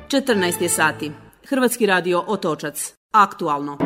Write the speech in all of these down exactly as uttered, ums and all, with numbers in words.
četrnaest je sati. Hrvatski radio Otočac. Aktualno.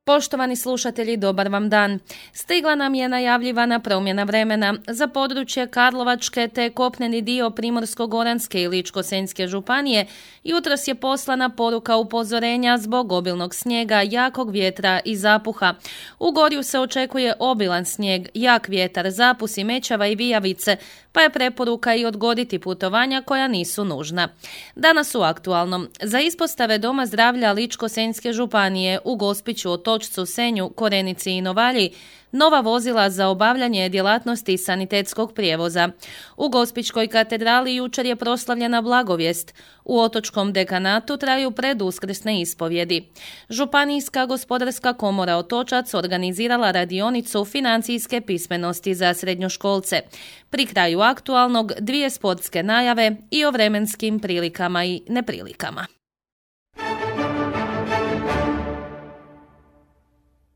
Poštovani slušatelji, dobar vam dan. Stigla nam je najavljivana promjena vremena za područje Karlovačke te kopneni dio Primorsko-goranske i Ličko-senjske županije. Jutros je poslana poruka upozorenja zbog obilnog snijega, jakog vjetra i zapuha. U Gorju se očekuje obilan snijeg, jak vjetar, zapusi, mećava i vijavice, pa je preporuka i odgoditi putovanja koja nisu nužna. Danas u Aktualnom. Za ispostave Doma zdravlja Ličko-senjske županije u Gospiću, Otočcu, Senju, Korenici i Novalji nova vozila za obavljanje djelatnosti sanitetskog prijevoza. U Gospićkoj katedrali jučer je proslavljena blagovijest. U Otočkom dekanatu traju preduskrsne ispovjedi. Županijska gospodarska komora Otočac organizirala radionicu financijske pismenosti za srednjoškolce. Pri kraju Aktualnog dvije sportske najave i o vremenskim prilikama i neprilikama.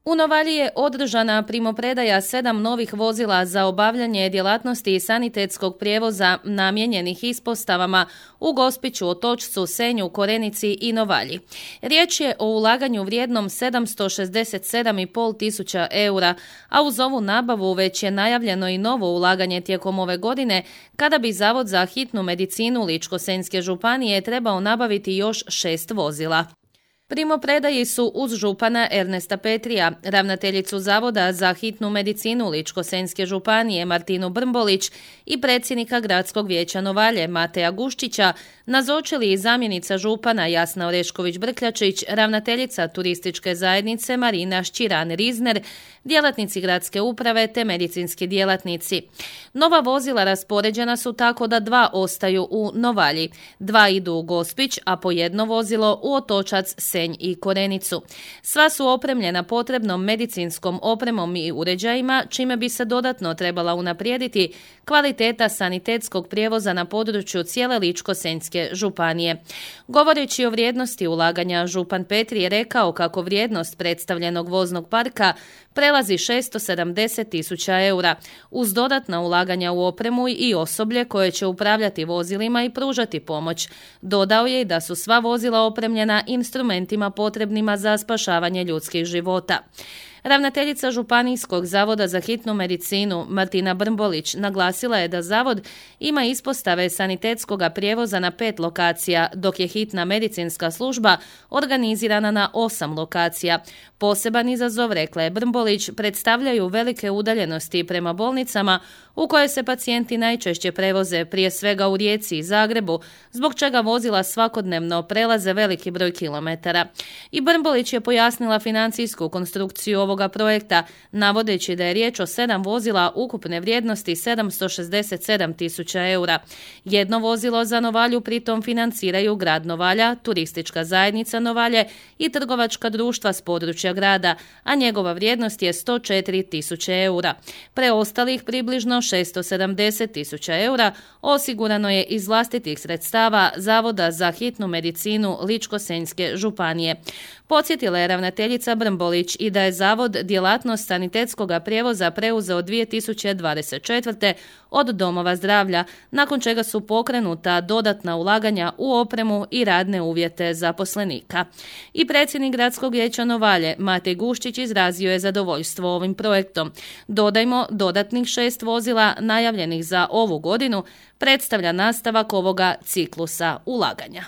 U Novalji je održana primopredaja sedam novih vozila za obavljanje djelatnosti sanitetskog prijevoza namijenjenih ispostavama u Gospiću, Otočcu, Senju, Korenici i Novalji. Riječ je o ulaganju vrijednom sedamsto šezdeset sedam i pol tisuća eura, a uz ovu nabavu već je najavljeno i novo ulaganje tijekom ove godine, kada bi Zavod za hitnu medicinu Ličko-senjske županije trebao nabaviti još šest vozila. Primopredaji su uz župana Ernesta Petrija, ravnateljicu Zavoda za hitnu medicinu Ličko-senjske županije Martinu Brmbolić i predsjednika Gradskog vijeća Novalje Mateja Guščića nazočili i zamjenica župana Jasna Orešković-Brkljačić, ravnateljica turističke zajednice Marina Šćiran-Rizner, djelatnici gradske uprave te medicinski djelatnici. Nova vozila raspoređena su tako da dva ostaju u Novalji, dva idu u Gospić, a po jedno vozilo u Otočac, Senj i Korenicu. Sva su opremljena potrebnom medicinskom opremom i uređajima, čime bi se dodatno trebala unaprijediti kvaliteta sanitetskog prijevoza na području cijele Ličko-senjske županije. Govoreći o vrijednosti ulaganja, župan Petri je rekao kako vrijednost predstavljenog voznog parka prelazi šesto sedamdeset tisuća eura, uz dodatna ulaganja u opremu i osoblje koje će upravljati vozilima i pružati pomoć. Dodao je da su sva vozila opremljena instrumentima potrebnima za spašavanje ljudskih života. Ravnateljica Županijskog zavoda za hitnu medicinu Martina Brmbolić naglasila je da zavod ima ispostave sanitetskog prijevoza na pet lokacija, dok je hitna medicinska služba organizirana na osam lokacija. Poseban izazov, rekla je Brmbolić, predstavljaju velike udaljenosti prema bolnicama u koje se pacijenti najčešće prevoze, prije svega u Rijeci i Zagrebu, zbog čega vozila svakodnevno prelaze veliki broj kilometara. I Brmbolić je pojasnila financijsku konstrukciju ovoga projekta, navodeći da je riječ o sedam vozila ukupne vrijednosti sedamsto šezdeset sedam tisuća eura. Jedno vozilo za Novalju pritom financiraju grad Novalja, turistička zajednica Novalje i trgovačka društva s područja grada, a njegova vrijednost je sto četiri tisuće eura. Preostalih približno šesto sedamdeset tisuća eura osigurano je iz vlastitih sredstava Zavoda za hitnu medicinu Ličko-senjske županije. Podsjetila je ravnateljica Brmbolić i da je zavod djelatnost sanitetskog prijevoza preuzeo dvije tisuće dvadeset četvrte od domova zdravlja, nakon čega su pokrenuta dodatna ulaganja u opremu i radne uvjete zaposlenika. I predsjednik Gradskog vijeća Novalje Matej Guščić izrazio je zadovoljstvo ovim projektom. Dodajmo, dodatnih šest vozila najavljenih za ovu godinu predstavlja nastavak ovoga ciklusa ulaganja.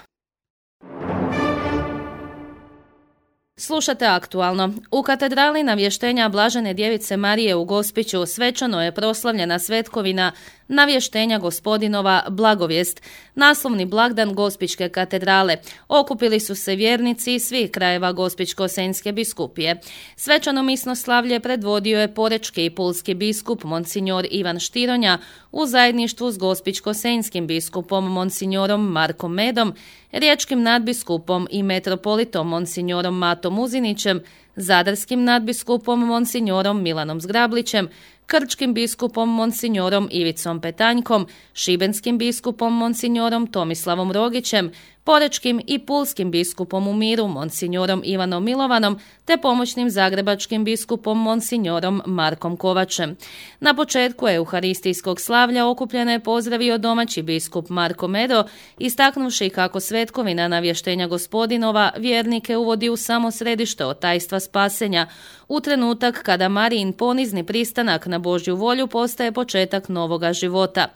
Slušate Aktualno. U katedrali Navještenja Blažene djevice Marije u Gospiću svečano je proslavljena svetkovina Navještenja Gospodinova Blagovijest, naslovni blagdan Gospićke katedrale. Okupili su se vjernici iz svih krajeva Gospićko-senjske biskupije. Svečano misno slavlje predvodio je porečki i pulski biskup Monsignor Ivan Štironja u zajedništvu s Gospićko-senjskim biskupom Monsignorom Markom Medom, riječkim nadbiskupom i metropolitom Monsignorom Matom Uzinićem, zadarskim nadbiskupom Monsignorom Milanom Zgrablićem, krčkim biskupom Monsignorom Ivicom Petanjkom, šibenskim biskupom Monsignorom Tomislavom Rogićem, porečkim i pulskim biskupom u miru monsignorom Ivanom Milovanom te pomoćnim zagrebačkim biskupom monsignorom Markom Kovačem. Na početku euharistijskog slavlja okupljene je pozdravio domaći biskup Marko Medo, istaknuvši kako svetkovina navještenja Gospodinova vjernike uvodi u samo središte otajstva spasenja, u trenutak kada Marijin ponizni pristanak na Božju volju postaje početak novoga života.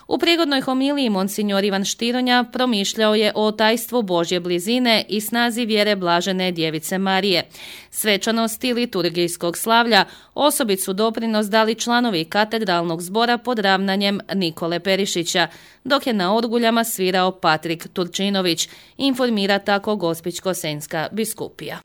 U prigodnoj homiliji monsinjor Ivan Štironja promišljao je o otajstvu Božje blizine i snazi vjere blažene djevice Marije. Svečanosti liturgijskog slavlja osobitu doprinos dali članovi katedralnog zbora pod ravnanjem Nikole Perišića, dok je na orguljama svirao Patrik Turčinović, informira tako Gospićko-senjska biskupija.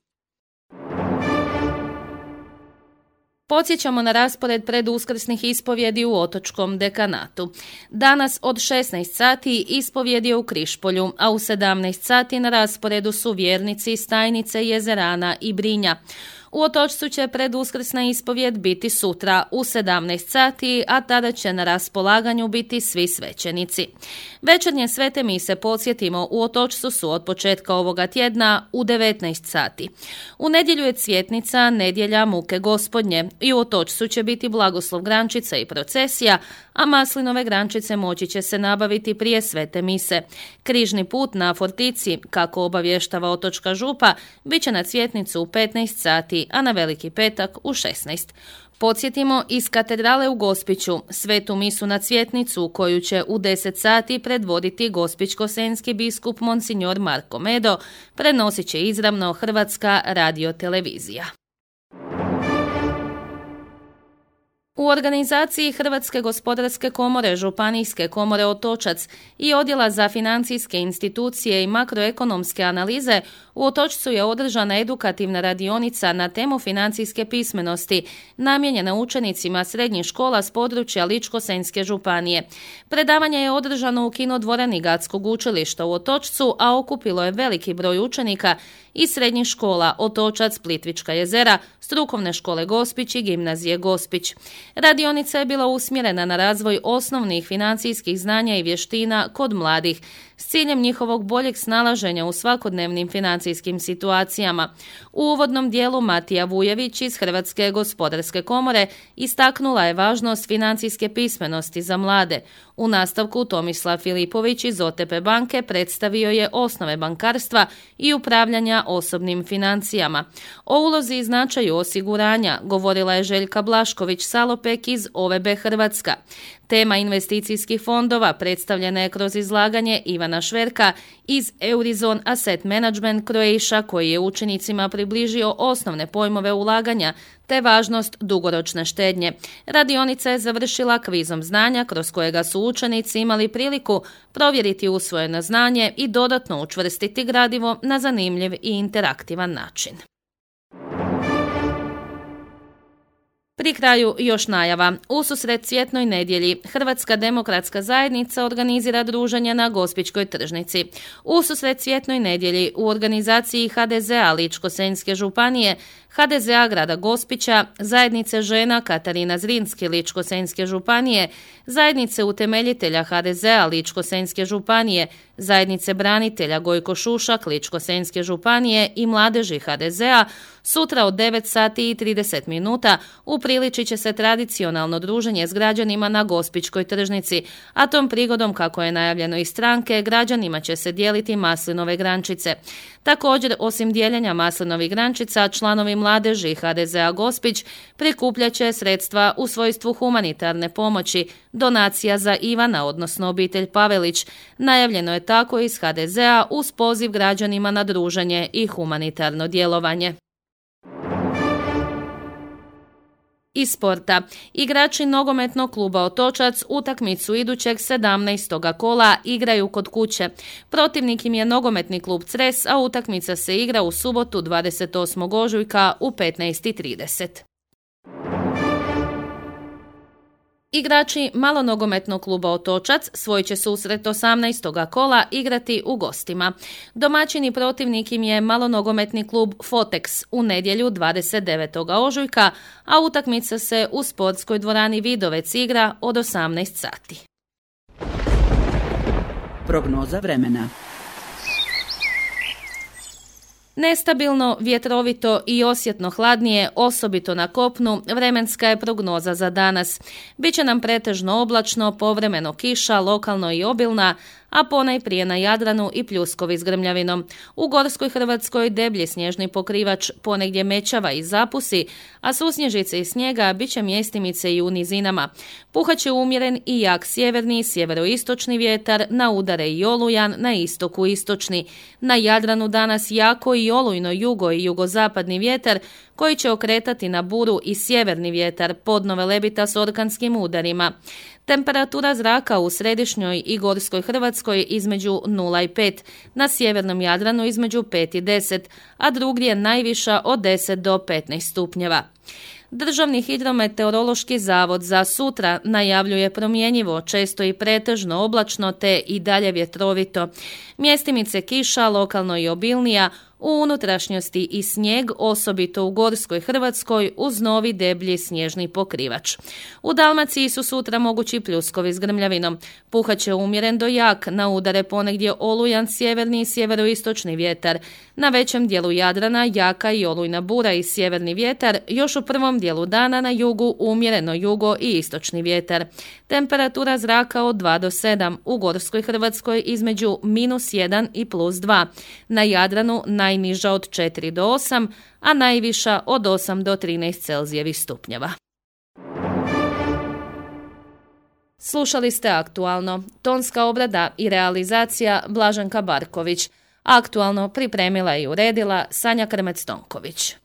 Podsjećamo na raspored preduskrsnih ispovjedi u Otočkom dekanatu. Danas od šesnaest sati ispovjed je u Križpolju, a u sedamnaest sati na rasporedu su vjernici iz Stajnice, Jezerana i Brinja. U Otočcu će preduskrsna ispovjed biti sutra u sedamnaest sati, a tada će na raspolaganju biti svi svećenici. Večernje svete mise, podsjetimo, u Otočcu su od početka ovoga tjedna u devetnaest sati. U nedjelju je cvjetnica, nedjelja muke Gospodnje, i u Otočcu će biti blagoslov grančica i procesija, a maslinove grančice moći će se nabaviti prije svete mise. Križni put na Fortici, kako obavještava Otočka župa, bit će na cvjetnicu u petnaest sati, a na Veliki petak u šesnaest. Podsjetimo, iz katedrale u Gospiću svetu misu na cvjetnicu, koju će u deset sati predvoditi gospićko-senjski biskup monsinjor Marko Medo, prenosit će izravno Hrvatska radiotelevizija. U organizaciji Hrvatske gospodarske komore, Županijske komore Otočac i Odjela za financijske institucije i makroekonomske analize u Otočcu je održana edukativna radionica na temu financijske pismenosti, namijenjena učenicima srednjih škola s područja Ličko-senjske županije. Predavanje je održano u kinodvorani Gatskog učilišta u Otočcu, a okupilo je veliki broj učenika iz srednjih škola Otočac, Plitvička jezera, strukovne škole Gospić i gimnazije Gospić. Radionica je bila usmjerena na razvoj osnovnih financijskih znanja i vještina kod mladih, s ciljem njihovog boljeg snalaženja u svakodnevnim financijskim situacijama. U uvodnom dijelu Matija Vujević iz Hrvatske gospodarske komore istaknula je važnost financijske pismenosti za mlade. U nastavku Tomislav Filipović iz O T P banke predstavio je osnove bankarstva i upravljanja osobnim financijama. O ulozi i značaju osiguranja govorila je Željka Blašković-Salopek iz O V B Hrvatska. Tema investicijskih fondova predstavljena je kroz izlaganje Ivana Šverka iz Eurizon Asset Management Croatia, koji je učenicima približio osnovne pojmove ulaganja te važnost dugoročne štednje. Radionica je završila kvizom znanja kroz kojega su učenici imali priliku provjeriti usvojeno znanje i dodatno učvrstiti gradivo na zanimljiv i interaktivan način. Pri kraju još najava. Ususret Cvjetnoj nedjelji Hrvatska demokratska zajednica organizira druženje na Gospićkoj tržnici. Ususret Cvjetnoj nedjelji u organizaciji H D Z A Ličko-senjske županije, H D Z A grada Gospića, Zajednice žena Katarina Zrinski Ličko-senjske županije, Zajednice utemeljitelja H D Z A Ličko-senjske županije, Zajednice branitelja Gojko Šušak Ličko-senjske županije i mladeži H D Z A sutra od devet sati i trideset minuta upriličit će se tradicionalno druženje s građanima na Gospićkoj tržnici, a tom prigodom, kako je najavljeno iz stranke, građanima će se dijeliti maslinove grančice. Također, osim dijeljenja maslinovih grančica, članovi mladeži H D Z A Gospić prikupljat će sredstva u svojstvu humanitarne pomoći, donacija za Ivana, odnosno obitelj Pavelić. Najavljeno je tako iz H D Z A uz poziv građanima na druženje i humanitarno djelovanje. Iz sporta. Igrači nogometnog kluba Otočac utakmicu idućeg sedamnaestog kola igraju kod kuće. Protivnik im je nogometni klub Cres, a utakmica se igra u subotu dvadeset osmog ožujka u petnaest i trideset. Igrači malonogometnog kluba Otočac svoj će susret osamnaestog kola igrati u gostima. Domaćini protivnik im je malonogometni klub Fotex u nedjelju dvadeset devetog ožujka, a utakmica se u sportskoj dvorani Vidovec igra od osamnaest sati. Prognoza vremena. Nestabilno, vjetrovito i osjetno hladnije, osobito na kopnu, vremenska je prognoza za danas. Biće nam pretežno oblačno, povremeno kiša, lokalno i obilna, a ponajprije na Jadranu i pljuskovi s grmljavinom. U Gorskoj Hrvatskoj deblji snježni pokrivač ponegdje mećava i zapusi, a susnježice i snijega bit će mjestimice i u nizinama. Puhaće umjeren i jak sjeverni i sjeveroistočni vjetar, na udare i olujan, na istoku istočni. Na Jadranu danas jako i olujno jugo i jugozapadni vjetar, koji će okretati na buru i sjeverni vjetar, podno Velebita s orkanskim udarima. Temperatura zraka u središnjoj i Gorskoj Hrvatskoj između nula i pet, na sjevernom Jadranu između pet i deset, a drugdje najviša od deset do petnaest stupnjeva. Državni hidrometeorološki zavod za sutra najavljuje promjenjivo, često i pretežno oblačno te i dalje vjetrovito. Mjestimice kiša, lokalno i obilnija, u unutrašnjosti i snijeg, osobito u Gorskoj Hrvatskoj, uz novi deblji snježni pokrivač. U Dalmaciji su sutra mogući pljuskovi s grmljavinom. Puhaće umjeren do jak, na udare ponegdje olujan sjeverni i sjeveroistočni vjetar. Na većem dijelu Jadrana jaka i olujna bura i sjeverni vjetar, još u prvom dijelu dana na jugu umjereno jugo i istočni vjetar. Temperatura zraka od dva do sedam, u Gorskoj Hrvatskoj između minus jedan i plus dva. Na Jadranu najniža od četiri do osam, a najviša od osam do trinaest Celzijevih stupnjeva. Slušali ste Aktualno. Tonska obrada i realizacija Blaženka Barković. Aktualno pripremila i uredila Sanja Krmec-Tonković.